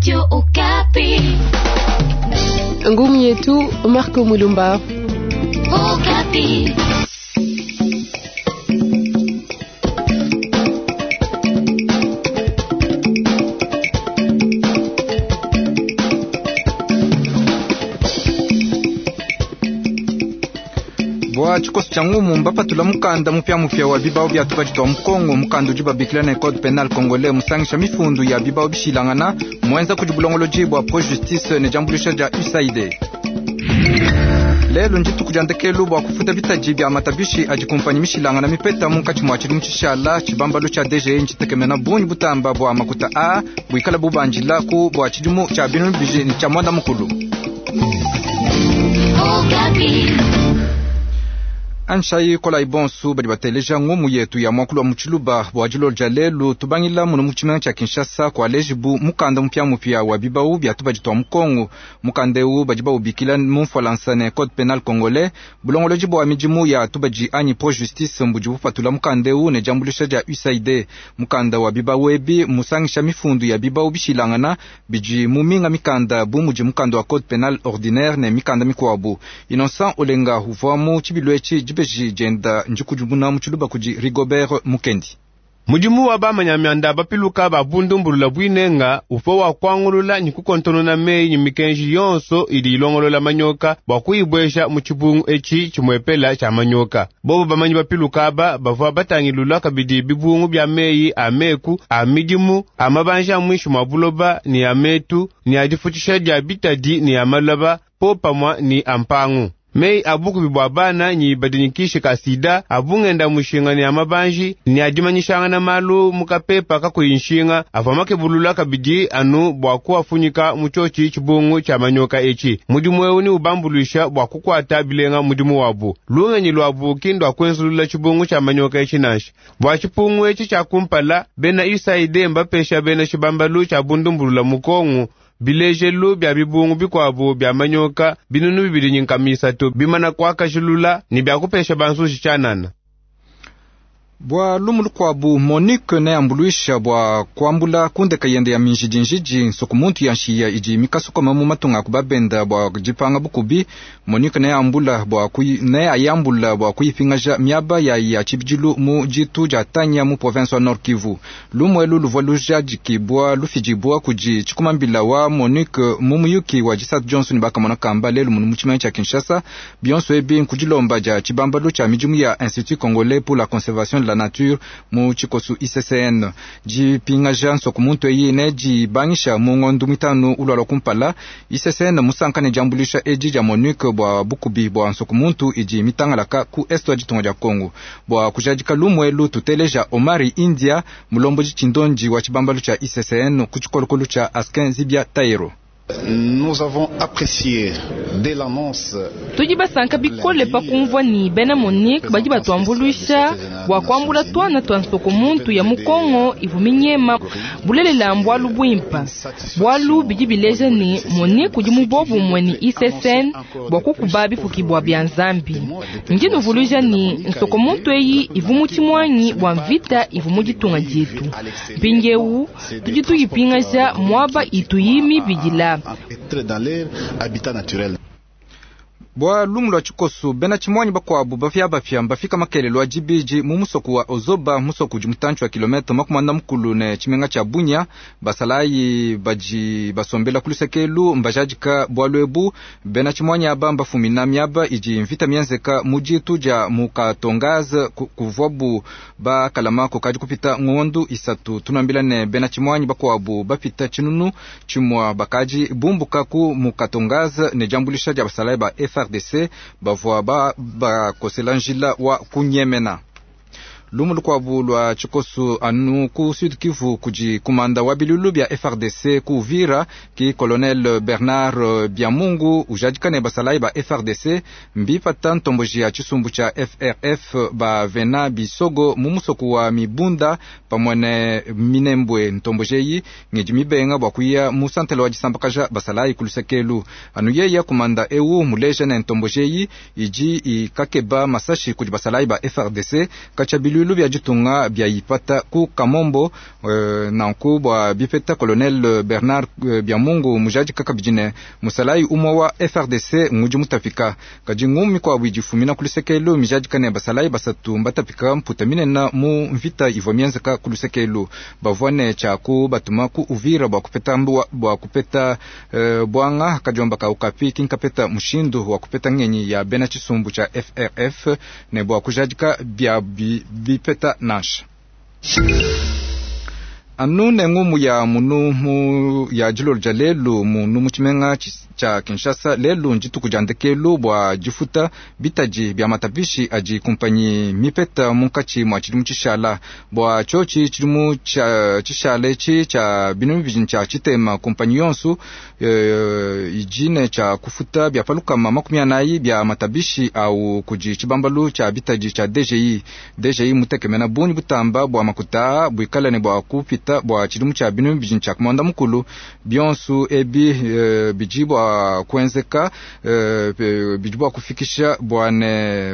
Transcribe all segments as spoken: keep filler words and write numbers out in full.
Radio Okapi. Ngumu yetu Marco Mulumba. Okapi. Bwa tshikoso tshia ngumu mbapatula mukanda mupiamupia wa bibao bya tubadi twa mukongo mukanda udi babikila ne code penal congolais musangisha mifundu ya bibao bishilangana mwenza kudi bulongolodi bwa pro justice ne diambuluisha dia U S A I D. Lelo ndituku dia ndekelu bua kufuta bitadi bia matabishi adi kumpanyi mishilangana mipeta munkatshi mua tshidimu tshishala. Tshibambalu tshia D G E ntshitekemena bungi butamba bua makuta a buikala bubandila ku bua tshidimu tshia binunu bibidi ne tshia mwanda mukulu. Okapi. Anshayi kolayi bonsu badi bateleja ngumu yetu ya mwakulu wa mutshiluba bua dilolo dia lelu. Tubangila muno mu tshimenga tshia Kinshasa kualejibu mukanda mupiamupia wa bibau bya tubadi twa mukongo. Mukanda ewu badi bawubikila mu mfualansa ne code penal congolais. Bulongolodi bua midimu ya tubadi anyi pro justice mbudi bupatula mukanda ewu ne diambuluisha dia U S A I D. Mukanda wa bibau ebi musangisha mifundu ya bibau bishilangana bidi mu minga mikanda bu mudi mukanda wa code penal ordinaire ne mikanda mikuabu. Innocent Olenga uvua mu tshibilu etshi, dibeji dienda ndikudimuna mu tshiluba kudi Rigobert Mukendi. Mudimu wa bamanyamyanda bapiluka babundumbulula bwinenga ufo wa kwangulula ni kukontonona meyi ni mikenji yonso idi ilongolola manyoka bua kuyibwesha mu tshibungu etshi tshimwepela tshia manyoka. Bobo bamanyi bapiluka aba bavua batangilula kabidi bibungu bya meyi a meku, a midimu, a mabanja a mwishi mwa buloba ni a metu ni a difutshisha dia bitadi ni a malaba po pamwa ni a mpangu. Mei a bukubi bua bana nyi badinyikishe ka sida, abungenda mushinga ni amabanji ni adimanyishangana malu mukapepa kakuyi nshinga avua makebulula kabidi anu bua kuafunyika mu tshotshi tshibungu tshia manyoka etshi. Mudimu ewu ni ubambuluisha bua kukwata bilenga mudimu wabu. Lungenyi lwabu ki ndua kuenzulula tshibungu tshia manyoka etshi nansha. Bua tshipungu etshi tshia kumpala, bena U S A I D mbapesha bena tshibambalu tshia bundumbulula mukongu bilejelu bya bibungu bikuabu bya manyoka binunu bibili ni nkama isatu bimana kuakajilula ni bya kupesha banzuji tshianana. Bua lumu lukuabu, Monique neambuluisha bua kuambula kundeka yende ya minjidinjidi nsuku muntu ya nshiya idi mikasukoma mu matunga aku babenda bua dipanga bukubi. Monique neambula bua kuyi, neayambula bua kuyipingaja miaba ya ya tshibidilu mu ditu dia Tanya mu province wa Nord Kivu. Lumu elu luvua lujadikibua lufidibua kudi tshikumambila wa Monique mu muyuki wa disatu Johnson bakamona kamba lelu munu mu tshimenga tshia Kinshasa. Bionso ebi nkudilomba dia tshibambalu tshia midimu ya Institut Congolais pour la Conservation de la Nature mu tshikosu I C C N. Dipingaja nsoku muntu eyi ne dibangisha mu ngondo mitanu ulwalwa kumpala. I C C N musanka ne diambuluisha edi dia Monique bua bukubi bua nsoku muntu idi mitangalaka ku est wa ditunga dia Kongo. Bua kujadika lumu elu, tuteleja Omari India, mulombodi tshindondi wa tshibambalu tshia I C C N ku tshikolokolo tshia Askin Zibia Taero. Nous avons apprécié dès l'annonce Tudi basanka bikole pa kumvua ni bena Monique badi batuambuluisha bua kuambula tuana tua nsoko muntu ya mukongo ivu minyema. Bulelela mbualu buimpa, bualu bidi bileja ni Monique udi mubobumue ni I C C N bua kukuba bifukibua bia Nzambi. Ndi nuvuluija ni nsoko muntu eyi ivu mu tshimuanyi bua mvita ivu mu ditunga dietu. Mpindiewu tudi tuyipingaja muaba ituyi mibidila. Dans leur habitat naturel. Bua lumu lua tshikosu, bena tshimuanyi bakuabu bafia mbafika makelelo a dibidi mu musoku wa Ozoba, musoku udi mutantshi wa kilomètre makumi anda mukulu ne tshimenga tshia Bunia. Basalayi badi basombela ku lusekelu mbajadika bualu ebu. Bena tshimuanyi aba mbafumina miaba idi mvita mienzeka mu ditu dia Mukatongaze kuvuabu bakalama kukadi kupita ngondu isatu. Tunambila ne bena tshimuanyi bakuabu bapita tshinunu tshimua bakadi bumbuka ku Mukatongaze ne diambuluisha dia basalayi ba F A R D C bavua bakosela njila wa kunyemena. Lumu lukuabu lua tshikosu anu ku Sud Kivu, kudi kumanda wa bilulu bia F A R D C ku Uvira ki colonel Bernard Biamungu ujadika ne basalayi ba F A R D C mbipata ntomboji ya tshisumbu tshia F R F bavena bisogo mu musoku wa Mibunda pamue ne Minembwe. Ntomboji eyi ngidi mibenga bua kuya mu santele wa disambakaja basalayi ku lusekelu. Anu yeya kumanda ewu muleja ne ntomboji eyi idi ikakeba masashi kudi basalayi ba F A R D C katshia. Biluilu bia ditunga bia ipata ku Kamombo e, nanku bua bipeta Colonel Bernard Biamungu mujadika kabidi ne musalayi umue wa F R D C ngudi mutapika kadi ngumu mikuabu idi ifumina ku lusekelu mijadika ne basalayi basatu mbatapika mputa minene mu mvita ivua mienzeka ku lusekelu bavua ne tshiaku batuma ku Uvira bua kupeta bua kupeta e, bwanga kadiomba ka Okapi kinkapeta mushindu wa kupeta ngenyi ya bena tshisumbu tshia F R F ne bua kujadika bia bipeta nansha. Anu ne ngumu ya munu mu ya dilolo dia lelu munu mu tshimenga tshia Kinshasa lelu ndituku dia ndekelu bua difuta bitadi bia matapishi adi kumpanyi mipeta munkatshi mua tshidimu tshishala bua tshiotshi tshidimu tshishala etshi tshia binunu bibidi tshia tshitema kumpanyi yonso e, idi ne tshia kufuta bia palukama makumi anayi bia matabishi au kudi tshibambalu tshia bitadi tshia D G I. D G I mutekemena bungi butamba bua makuta buikala ne bua kupita bua tshidimu tshia binunu bibidi tshia kumanda mukulu bionso ebi e, bidi bua kuenzeka e, bidi bua kufikisha bua ne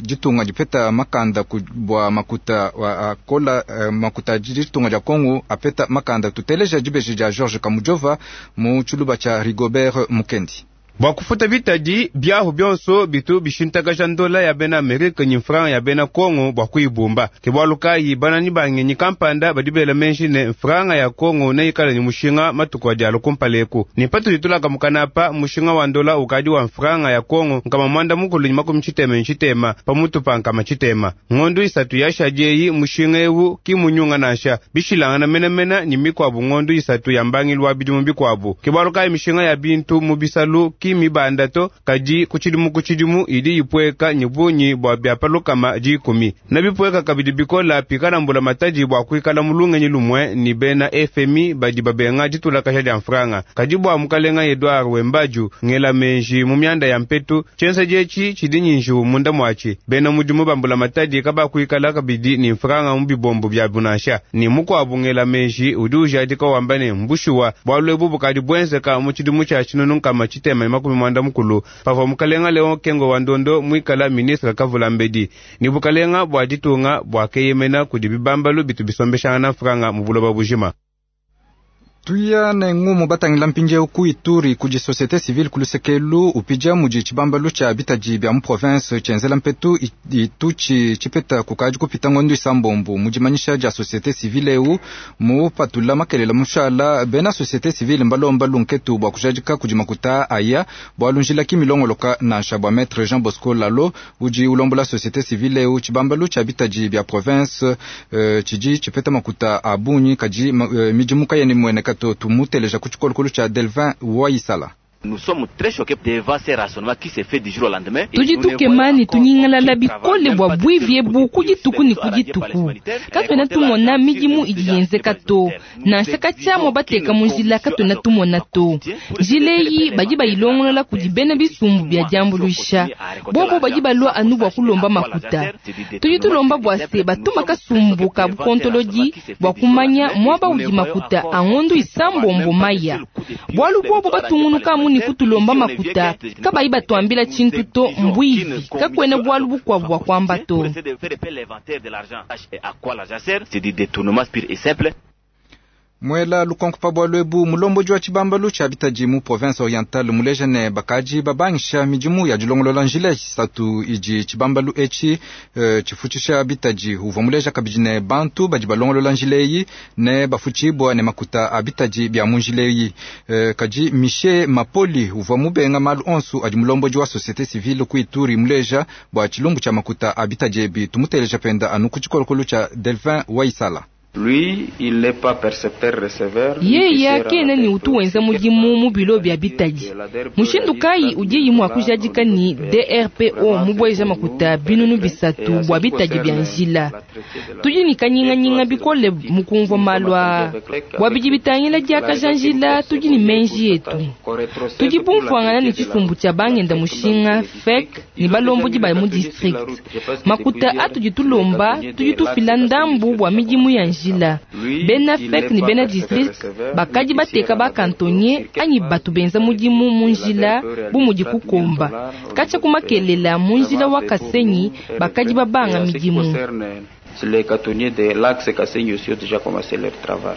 ditunga dipeta makanda bua makuta akola makuta ditunga dia Kongo apeta makanda. Tuteleja dibeji dia Georges Kamujova mu tshiluba tshia Rigobert Mukendi. Bua kufuta bitadi biahu bionso bitu bishintakaja ndola ya bena Amerika ni franc ya bena Kongo bua kuibumba. Ke bualu kayi banani bangenyi kampanda badi bela menji ne franga ya Kongo neikala ni mushinga matuku adi alu kumpaleku. Ni patudi tulaka mukanapa mushinga wa ndola ukadi wa franga ya Kongo nkama mwanda mukulu ni makumi tshitema tshitema pamutu pa nkama tshitema. Ngondu isatu yashadi eyi mushinga ewu ki munyunga nansha bishilangana menamena ni mikwabu ngondu isatu ya mbangilu wa bidimu bikwabu. Ke bualu kayi mishinga ya bintu mu bisalu ki mibanda to kadi kutshidimu kutshidimu idi ipweka nyibunyi bua bia palukama dikumi na bipweka kabidi bikola pikala mbula matadi bua kuikala mulungenyi lumwe ni bena F M I badi babenga ditulakasha dia mfranga kadi bua mukalenga Edouard Wembaju ngela menji mu mianda ya mpetu tshienza dietshi tshidi nyinju munda muatshi bena mudimu bambula matadi kabakuikala kabidi ni mfranga mu bibombo bia bunasha ni mukuabu ngela menji udi ujadika wamba ne mbushuwa bualu ebu bukadi buenzeka mu tshidimu tshia tshinunu nkama tshitema makumi mwanda mukulu pavua mukalenga Leon Kengo wa Ndondo mwikala ministre kavula mbedi ni bukalenga bua ditunga bua keyemena kudi bibambalu bitu bisombeshangana franga mu buloba bujima. Tuya ne ngumu batangila mpindieu ku Ituri kudi société civile kulusekelu upija mudi tshibambalu tshia bitadi bia mu province tshienzela mpetu itutshi tshipeta kukadi kupita ngondu isambombo mudimanyisha dia société civile eu mu patula makelela mushala bena société civile mbalomba lunketu bua kujadika kudi makuta aya bua lunjila kimilongoloka nansha bua maître Jean Bosco Lalo udi ulombola société civile eu tshibambalu tshia bitadi bia province uh, tshidi tshipeta makuta a bungi kadi uh, midimu kayeni muene kato tumuteleja ku tshikolokolo tshia Delvin Waisala. Nous sommes très choqués devant ces raisonnements qui se fait du jour au lendemain. Tudi tukema ni tunyingalala bikole bua bwivye bu kudituku ni kudituku. Katwena tumona midimu idi yenzeka to. Nansha katshiamua bateka mu njila katwena tumona to. Njila eyi badi bayilongolola kudi bena bisumbu bia diambuluisha. Bobo badi balua anu bua kulomba makuta. Tudi tulomba bua se batuma kasumbu ka bukontolodi bua kumanya muaba udi makuta a ngondu isambombo maya. Bualu bobo batungunuka mu ni kutulomba makuta kabayi batuambila tshintu to mbwivi kakwena bualu bukwabu bua kuamba to. Mwela lukonko pa bualu ebu mulomboji wa tshibambalu tshia bitadi mu province orientale muleja ne bakaji babangisha midimu ya dilongolola njila isatu idi tshibambalu etshi uh, tshifutshisha bitadi uvua muleja kabidi ne bantu badi balongolola njila eyi ne bafutshibua ne makuta a bitadi bia mu njila eyi. Uh, kadi Michel Mapoli uvua mubenga malu onso adi mulomboji wa société civile ku Ituri muleja bua tshilumbu tshia makuta a bitadi ebi tumuteleja penda anu ku tshikolokolo tshia Delvin Waisala. Lui, il n'est pas percepteur receveur. Yeya kena ni utu wenza mudimu mu bilo bia bitadi. Mushindu kayi udi mua kujadika ni D R P O mubweja makuta binunu bisatu bua bitadi bia njila. Tudi ni kanyinganyinga bikole mukumvua malu aa. Bua bidi bitangila diakaja njila tudi ni menji yetu. Tudi bumvuangana ni tshisumbu tshia bangenda mushinga F E C ni balombodi ba mu district. Makuta atudi tulomba tudi tufila ndambu bua midimu ya njila. Bena F E C ni bena district bakadi bateka bakantonye anyi batu benza mudimu mu njila bu mudi kukomba. Katshia kumakelela mu njila wa Kasenyi bakadi babanga midimu. Les cantonniers de l'axe Kasenyi aussi ont déjà commencé leur travail.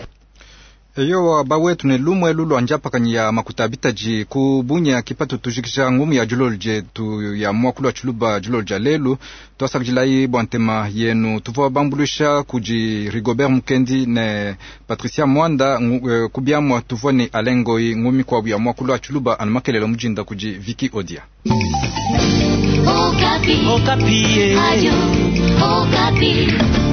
Eyowa bawetu ne lumwe lulwa njapakanyi ya makuta abitaji ku bunya kipatu tujikisha ngumu ya julolo jetu ya mwakulu wa tshiluba julolo ja lelu twasakijilayi bwa ntema yenu tuvua bambulusha kudi Rigobert Mukendi ne Patricia Mwanda eh, kubiamwa tuvua ne Alain Ngoyi ngumi kwabu ya mwakulu wa tshiluba anu makelelo mujinda kudi Vicky Odia. Okapi. Okapi. Radio Okapi.